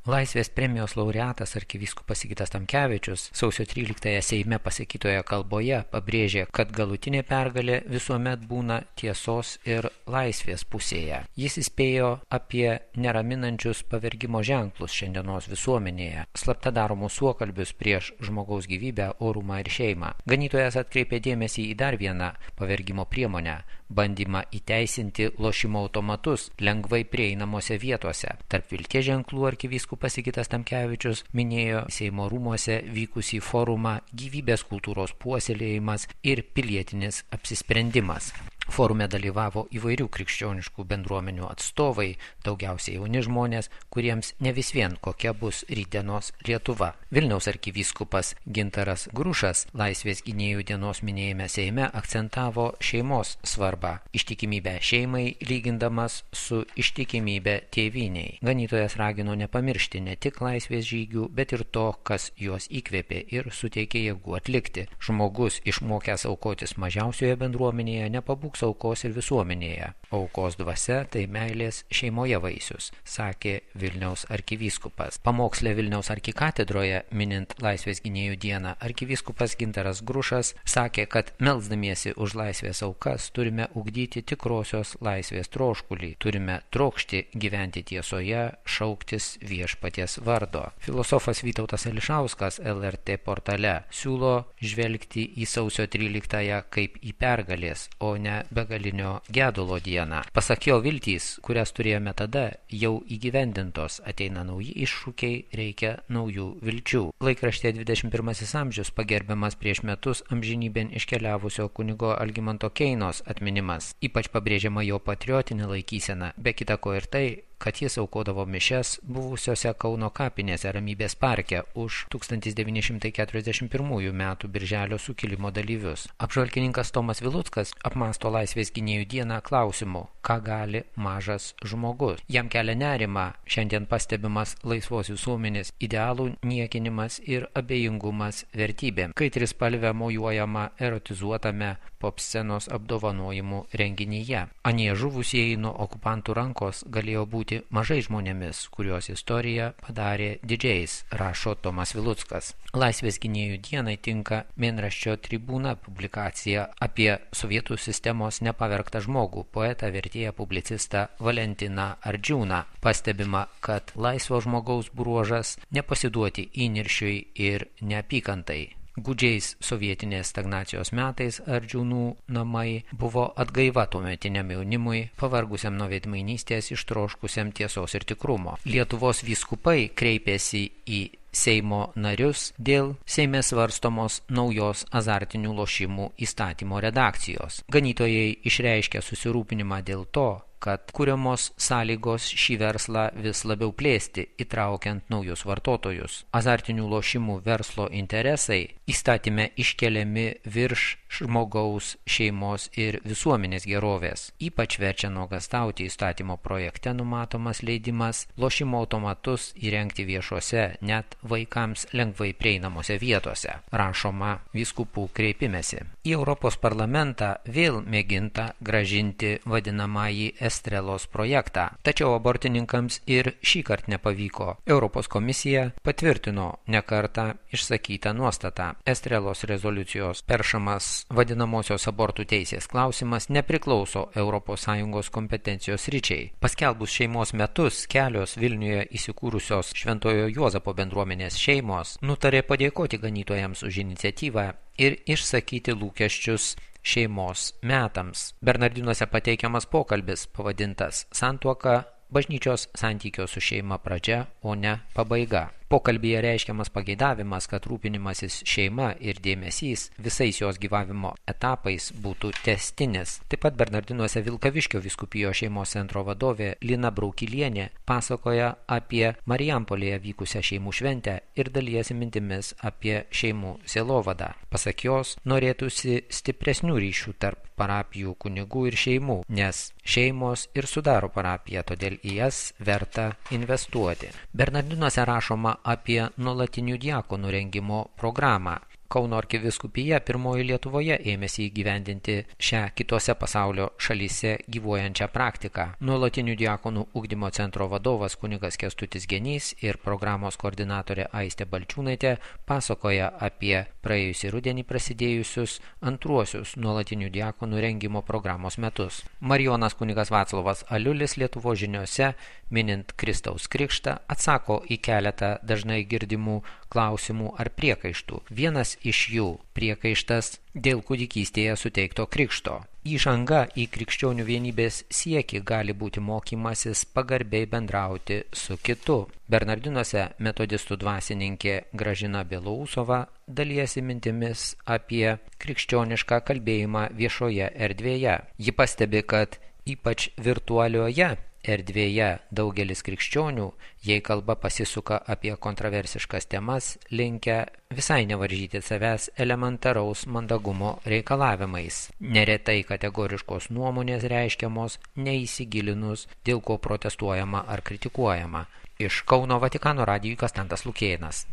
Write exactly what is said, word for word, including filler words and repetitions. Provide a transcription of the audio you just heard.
Laisvės premijos laureatas arkivyskupas Sigitas Tamkevičius sausio tryliktąją Seime pasakytoje kalboje pabrėžė, kad galutinė pergalė visuomet būna tiesos ir laisvės pusėje. Jis įspėjo apie neraminančius pavergimo ženklus šiandienos visuomenėje, slapta daromus suokalbius prieš žmogaus gyvybę, orumą ir šeimą. Ganytojas atkreipė dėmesį į dar vieną pavergimo priemonę – bandymą įteisinti lošimo automatus lengvai prieinamose vietose. Tarp vilties ženklų arkivyskupas Sigitas Tamkevičius minėjo Seimo rūmuose vykusį forumą Gyvybės kultūros puoselėjimas ir pilietinis apsisprendimas. Forume dalyvavo įvairių krikščioniškų bendruomenių atstovai, daugiausiai jauni žmonės, kuriems ne vis vien kokia bus rytdienos Lietuva. Vilniaus arkivyskupas Gintaras Grušas Laisvės gynėjų dienos minėjime Seime akcentavo šeimos svarbą, ištikimybę šeimai lygindamas su ištikimybė tėvynei. Ganytojas ragino nepamiršti ne tik laisvės žygių, bet ir to, kas juos įkvėpė ir suteikė jėgų atlikti. Žmogus išmokęs aukotis mažiausioje bendruomenėje nepabūks aukos ir visuomenėje. Aukos dvasia tai meilės šeimoje vaisius, sakė Vilniaus arkivyskupas. Pamokslė Vilniaus arkikatedroje, minint Laisvės gynėjų dieną, arkivyskupas Gintaras Grušas sakė, kad melsdamiesi už laisvės aukas turime ugdyti tikrosios laisvės troškulį, turime trokšti gyventi tiesoje, šauktis viešpaties vardo. Filosofas Vytautas Ališauskas L R T portale siūlo žvelgti į sausio tryliktąją kaip į pergalės, o ne begalinio gedulo dieną. Pasak jo, viltys, kurias turėjome tada, jau įgyvendintos, ateina nauji iššūkiai, reikia naujų vilčių. Laikraštė dvidešimt pirmasis amžius pagerbiamas prieš metus amžinybėn iškeliavusio kunigo Algimanto Keinos atminimas. Ypač pabrėžiama jo patriotinė laikysena, be kita ko ir tai, kad jis aukodavo mišias buvusiose Kauno kapinėse Ramybės parke už tūkstantis devyni šimtai keturiasdešimt pirmųjų metų birželio sukilimo dalyvius. Apžvalgininkas Tomas Viluckas apmąsto Laisvės gynėjų dieną klausimu, ką gali mažas žmogus. Jam kelia nerimą šiandien pastebimas laisvos visuomenės idealų niekinimas ir abejingumas vertybėm, kai trispalvė mojuojama erotizuotame popscenos apdovanojimų renginyje. Anie žuvusieji nuo okupantų rankos galėjo būti mažai žmonėmis, kuriuos istorija padarė didžiais, rašo Tomas Viluckas. Laisvės gynėjų dienai tinka mėnraščio Tribūna publikacija apie sovietų sistemos nepavergtą žmogų, poetą, vertėją, publicistą Valentiną Ardžiūną. Pastebima, kad laisvo žmogaus bruožas nepasiduoti įniršiui ir neapykantai. Gūdžiais sovietinės stagnacijos metais Ardžiūnų namai buvo atgaiva tuometiniam jaunimui, pavargusiam nuo veidmainystės, ištroškusiam tiesos ir tikrumo. Lietuvos vyskupai kreipėsi į Seimo narius dėl Seime svarstomos naujos azartinių lošimų įstatymo redakcijos. Ganytojai išreiškė susirūpinimą dėl to, kad kuriamos sąlygos šį verslą vis labiau plėsti, įtraukiant naujus vartotojus. Azartinių lošimų verslo interesai įstatyme iškeliami virš žmogaus, šeimos ir visuomenės gerovės. Ypač verčia nuogąstauti įstatymo projekte numatomas leidimas lošimo automatus įrengti viešose, net vaikams lengvai prieinamose vietose, rašoma vyskupų kreipimesi. Į Europos parlamentą vėl mėginta grąžinti vadinamąjį Estrelos projektą, tačiau abortininkams ir šį kartą nepavyko. Europos komisija patvirtino nekartą išsakytą nuostatą. Estrelos rezoliucijos peršamas vadinamosios abortų teisės klausimas nepriklauso Europos Sąjungos kompetencijos ryčiai. Paskelbus šeimos metus, kelios Vilniuje įsikūrusios Šventojo Juozapo bendruomenės šeimos nutarė padėkoti ganytojams už iniciatyvą ir išsakyti lūkesčius šeimos metams. Bernardinuose pateikiamas pokalbis pavadintas Santuoka bažnyčios santykio su šeima pradžia, o ne pabaiga. Pokalbyje reiškiamas pageidavimas, kad rūpinimasis šeima ir dėmesys visais jos gyvavimo etapais būtų tęstinis. Taip pat Bernardinuose Vilkaviškio vyskupijos šeimos centro vadovė Lina Braukilienė pasakoja apie Marijampolėje vykusią šeimų šventę ir dalijasi mintimis apie šeimų sielovadą. Pasak jos, norėtųsi stipresnių ryšių tarp parapijų kunigų ir šeimų, nes šeimos ir sudaro parapiją, todėl į jas verta investuoti. Bernardinuose rašoma apie nuolatinių diakonų rengimo programą. Kauno arkivyskupija pirmoji Lietuvoje ėmėsi įgyvendinti šią kitose pasaulio šalyse gyvuojančią praktiką. Nuolatinių diakonų ugdymo centro vadovas kunigas Kęstutis Genys ir programos koordinatorė Aistė Balčiūnaitė pasakoja apie praėjusį rudenį prasidėjusius antruosius nuolatinių diakonų rengimo programos metus. Marijonas kunigas Vaclovas Aliulis Lietuvos žiniose, minint Kristaus krikštą, atsako į keletą dažnai girdimų klausimų ar priekaištų. Vienas iš jų priekaištas dėl kūdikystėje suteikto krikšto. Įžanga į krikščionių vienybės siekį gali būti mokymasis pagarbiai bendrauti su kitu. Bernardinuose metodistų dvasininkė Gražina Belousova dalijasi mintimis apie krikščionišką kalbėjimą viešoje erdvėje. Ji pastebi, kad ypač virtualioje erdvėje daugelis krikščionių, jei kalba pasisuka apie kontroversiškas temas, linkę visai nevaržyti savęs elementaraus mandagumo reikalavimais. Neretai kategoriškos nuomonės reiškiamos neįsigilinus, dėl ko protestuojama ar kritikuojama. Iš Kauno Vatikano radijui Kastantas Lukėnas.